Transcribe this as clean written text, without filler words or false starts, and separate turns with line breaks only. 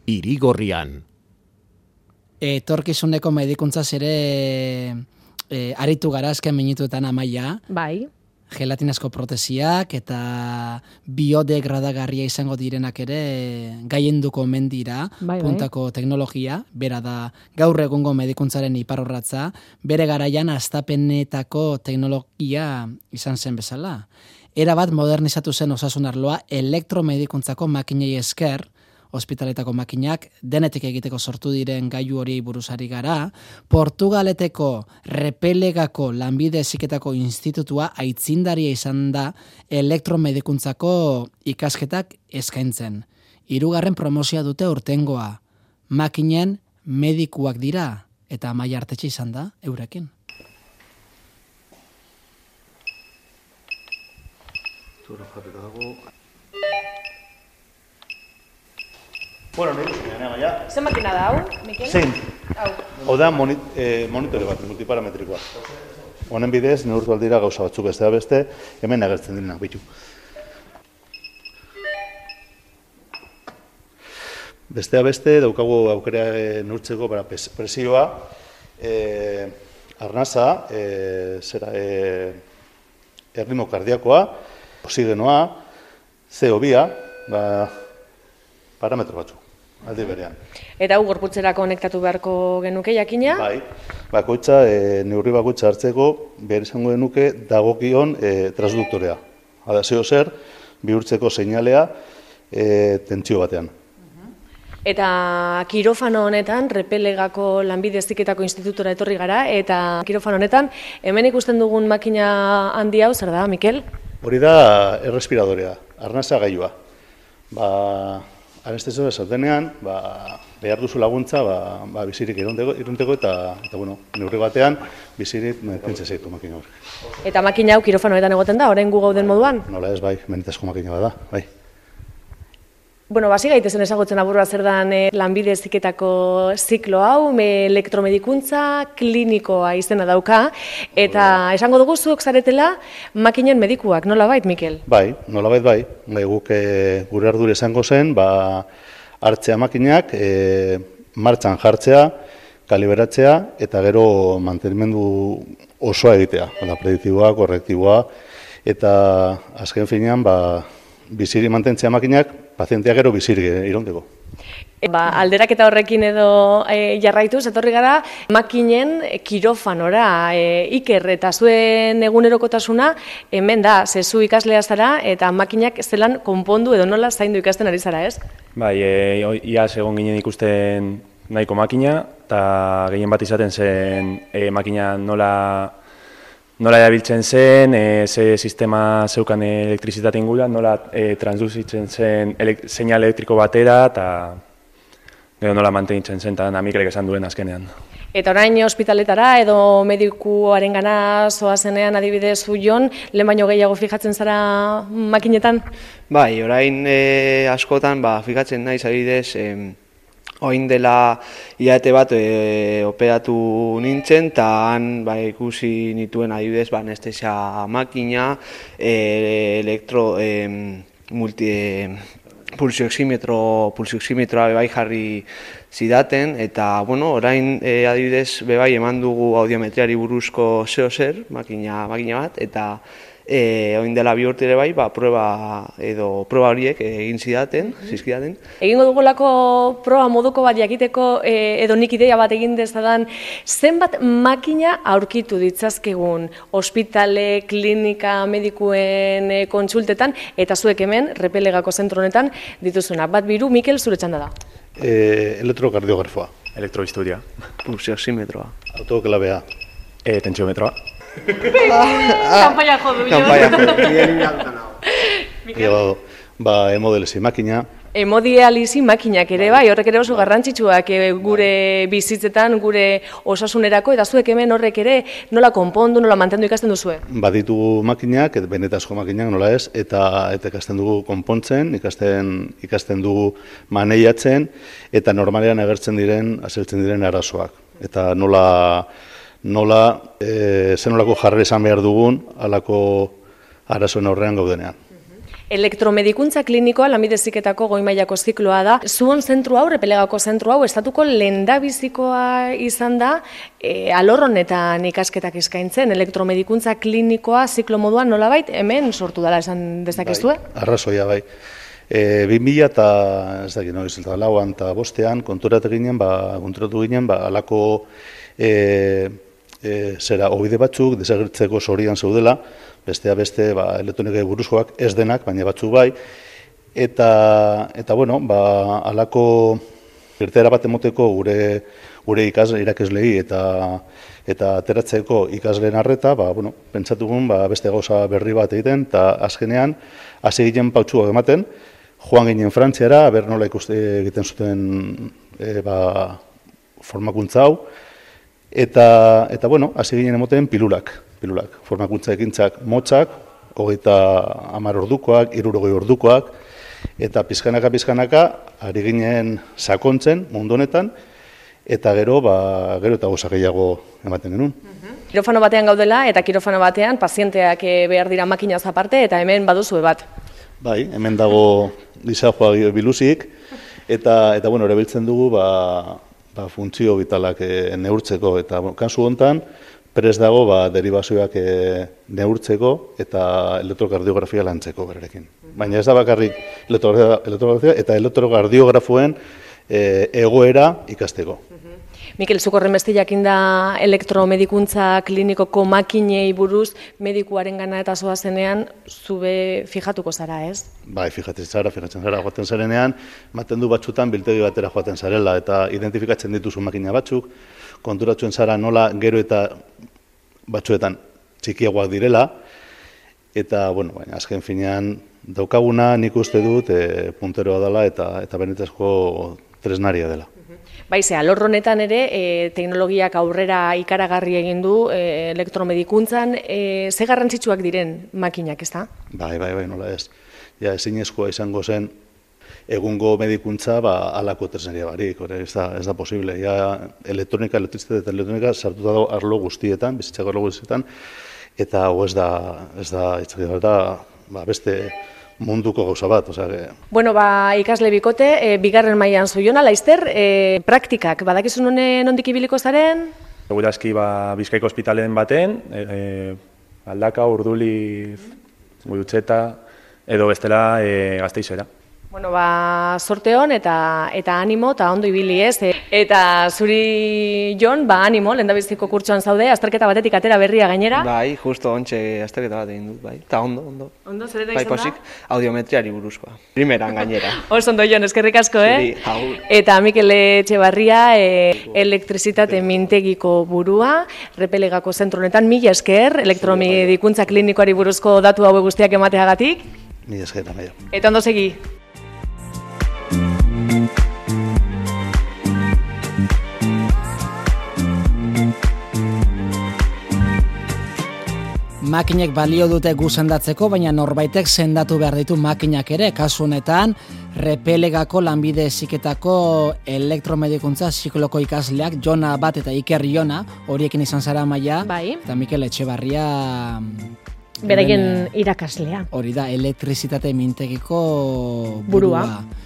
Irigorrian.
Etorkizuneko medikuntzaz ere aritu gara azken minutuetan Amaia.
Bai.
Gelatinazko protesiak eta biodegradagarria izango direnak ere gaienduko omen dira, puntako teknologia, bera da gaur egungo medikuntzaren iparrorratza, bere garaian hastapenetako teknologia izan zen bezala. Erabat modernizatu zen osasun arloa elektromedikuntzako makinei esker, ospitaletako makinak denetik egiteko sortu diren gailu horiei buruzari gara, Portugaleteko Repelegako Lanbide Heziketako Institutua aitzindaria izan da elektromedikuntzako ikasketak eskaintzen. 3. promozioa dute urtengoa. Makinen medikuak dira eta Amaia Artetxe izan da eurekin.
Bueno, nahi duzun, Amaia.
Zer makina da, hau, Mikel?
Zein. Hau da monitore bat, multiparametrikoa. Honen bidez, neurtu aldira gauza batzuk bestea beste, hemen agertzen direnak bitu. Bestea beste, daukagu aukera neurtzeko presioa, arnasa, erritmo kardiakoa, oxigenoa, CO2, parametro batzuk. Aldi berean.
Eta hau gorputzera konektatu beharko genuke jakina?
Bai, bakoitza, neurri bakoitza hartzeko behar izango genuke dagokion transduktorea. Hala, zeo zer, bihurtzeko seinalea tentsio batean.
Eta kirofano honetan, Repelegako Lanbide Heziketako Institutura etorri gara, eta kirofano honetan, hemen ikusten dugun makina handi hau, zer da, Mikel?
Hori da errespiradorea, arnasa gailua. Anestesio zaudenean, behar duzu laguntza bizirik irunteko eta neurri batean bizirik pentsa zaitu makina horrek.
Eta makina hau kirofanoetan egoten da, orain gu gauden moduan?
Nola ez, bai, benetazko makina bada, bai.
Bueno, basi gaitezen ezagutzen aburua zer dan Lanbide Heziketako ziklo hau, elektromedikuntza klinikoa izena dauka, eta esango dugu zuok zaretela makinen medikuak, nola bait, Mikel?
Bai, nola bai. Guk gure ardura izango zen, hartzea makinak, martxan jartzea, kaliberatzea, eta gero mantenimendu osoa egitea, prediktiboa, korrektiboa, eta azken finean, biziri mantentzea makinak, pazientea gero biziri irauteko.
Alderaketa horrekin edo jarraituz, etorri gara makinen kirofanora. Iker, eta zuen egunerokotasuna hemen da, zezu ikaslea zara eta makinak zelan konpondu edo nola zaindu ikasten ari zara, ez?
Bai, iaz egon ginen ikusten nahiko makina, eta gehien bat izaten zen makina nola erabiltzen zen, ze sistema zeukan elektrizitate ingura, nola transduzitzen zen seinal elektriko batera, eta gero nola mantenitzen zen, eta Mikelek esan duen azkenean.
Eta orain ospitaletara edo medikuaren gana zoazenean adibidez Jon, lehen baino gehiago fijatzen zara makinetan?
Bai, orain askotan fijatzen naiz adibidez, oin dela hilabete bat operatu nintzen, eta han ikusi nituen adibidez anestesia makina, pulsioximetroa bai jarri zidaten, eta orain adibidez bebai eman dugu audiometriari buruzko zeo zer, makina bat, eta oin dela 2 urte ere bai, proba horiek egin zizkidaten.
Egingo dugulako proba moduko bat jakiteko edo nik ideia bat egin dezadan, zenbat makina aurkitu ditzazkegun ospitale, klinika, medikuen kontsultetan, eta zuek hemen, Repelegako zentro honetan dituzuna. Bat biru, Mikel, zure txanda da.
Elektrokardiografoa.
Elektrohistoria.
Pulsioximetroa.
Autoklabea.
Tentsiometroa.
Kanpaia jo du,
jo. Hemodialisi makina.
Hemodialisi makinak ere bai, horrek ere oso garrantzitsuak gure bizitzetan, gure osasunerako, eta zuek hemen horrek ere nola konpondu, nola mantendu ikasten duzue?
Baditugu makinak, benetazko makinak nola ez, eta ikasten dugu konpontzen, ikasten dugu maneiatzen, eta normalean agertzen azaltzen diren arazoak. Eta zenolako jarri izan behar dugun alako arazoen aurrean gaudenean.
Elektromedikuntza klinikoa lanbide heziketako goi mailako zikloa da. Zuon zentru hau, Repelegako zentru hau, estatuko lehendabizikoa izan da alor honetan ikasketak eskaintzen. Elektromedikuntza klinikoa ziklo moduan nolabait hemen sortu dela esan dezakezue?
Arrazoia bai. 2000 eta ez dakit noiz, eta lauan eta bostean konturatu ginen, alako zera obide batzuk desagertzeko sorian zeudela, bestea beste elektronikai buruzkoak ez denak, baina batzuk bai, eta bueno, alako irteera bat emoteko gure irakaslei eta ateratzeko ikasleen arreta, pentsatugun beste gauza berri bat egiten, eta azkenean hasi ginen pautsuak ematen, joan ginen Frantziara, aber nola egiten zuten formakuntza hau, eta bueno, hasi ginen emoten pilulak, formakuntza ekintzak motzak, 30 ordukoak, 60 ordukoak, eta pizkanaka, ari ginen sakontzen mundu honetan, eta gero eta gauza gehiago ematen genuen.
Kirofano batean gaudela, eta kirofano batean pazienteak behar dira makinaz aparte, eta hemen baduzue bat.
Bai, hemen dago lisajoa biluzik, eta bueno, erabiltzen dugu funtzio vitalak neurtzeko, eta kasu hontan, prest dago deribazioak neurtzeko eta elektrokardiografia lantzeko berarekin. Baina ez da bakarrik elektrokardiografia eta elektrokardiografoen egoera ikasteko.
Mikel, zuk horrenbeste jakin da elektromedikuntza klinikoko makinei buruz medikuaren gana eta zoazenean zube fijatuko zara, ez?
Bai, fijatzen zara, joaten zarenean, ematen du batzutan biltegi batera joaten zarela eta identifikatzen dituzu makina batzuk, konturatzen zara nola gero eta batzuetan txikiagoak direla, eta, bueno, azken finean daukaguna nik uste dut punteroa dela eta benetazko tresnaria dela.
Baize, alor honetan ere, teknologiak aurrera ikaragarri egin du elektromedikuntzan, ze garrantzitsuak diren makinak, ez da?
Bai, nola ez. Ja, ezinezkoa izango zen egungo medikuntza alako tresneria barik, ez da posible. Ja, elektronika, elektrizitate eta elektronika sartuta dago arlo guztietan, bizitzako arlo guztietan, eta hau ez da beste munduko gauza bat,
Bueno, ikasle bikote, bigarren mailan zuiona, laizter, praktikak, badakizun nondik ibiliko zaren?
Segurazki Bizkaiko ospitalen baten, Aldaka, Urduliz, Gurutxeta, edo bestela Gasteizera.
Bueno, sorte hon eta animo eta ondo ibili ez. Eta zuri, Jon, animo, lehendabiziko kurtsoan zaude, azterketa batetik atera berria gainera.
Bai, justo ontxe azterketa bat egin dut, bai. Eta ondo.
Ondo, zer eta izan da?
Audiometriari buruzkoa. Primeran gainera.
Oso ondo, Jon, eskerrik asko, Eta Mikel Etxebarria, elektrizitate mintegiko burua, Repelegako zentru honetan, mila esker, elektromedikuntza klinikoari buruzko datu hau guztiak emateagatik.
Mila esker, amaia.
Eta ondo segi.
Makinek balio dute gu sendatzeko, baina norbaitek sendatu behar ditu makinak ere, kasu honetan Repelegako lanbide heziketako elektromedikuntza zikloko ikasleak, Jona bat eta Iker Jona, horiekin izan zara Amaia, eta Mikel Etxebarria
beraien irakaslea.
Hori da, elektrizitate mintegiko burua.